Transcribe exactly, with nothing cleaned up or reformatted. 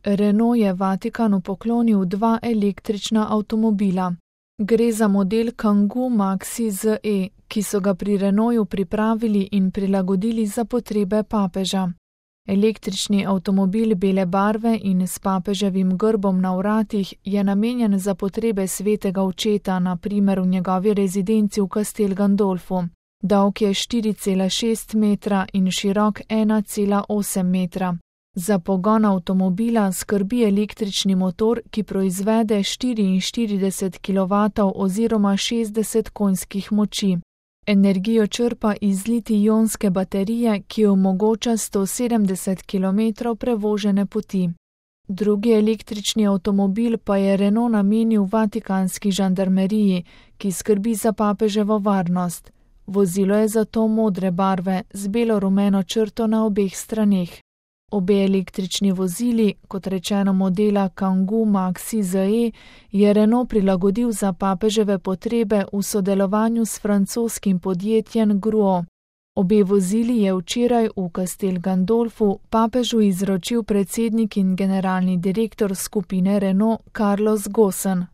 Renault je Vatikanu poklonil dva električna avtomobila. Gre za model Kangoo Maxi Z E, ki so ga pri Renaultu pripravili in prilagodili za potrebe papeža. Električni avtomobil bele barve in s papeževim grbom na vratih je namenjen za potrebe svetega očeta, na primer v njegovi rezidenci v Castel Gandolfu. Dolg je štiri cela šest metra in širok ena cela osem metra. Za pogon avtomobila skrbi električni motor, ki proizvede štiriinštirideset kilovatov oziroma šestdeset konjskih moči. Energijo črpa iz litij-ionske baterije, ki omogoča sto sedemdeset kilometrov prevožene poti. Drugi električni avtomobil pa je Renault namenil vatikanski žandarmeriji, ki skrbi za papeževo varnost. Vozilo je zato modre barve z belo-rumeno črto na obeh straneh. Obe električni vozili, kot rečeno modela Kangoo Maxi Z E, je Renault prilagodil za papeževe potrebe v sodelovanju s francoskim podjetjem Gruo. Obe vozili je včeraj v Castel Gandolfu papežu izročil predsednik in generalni direktor skupine Renault Carlos Ghosn.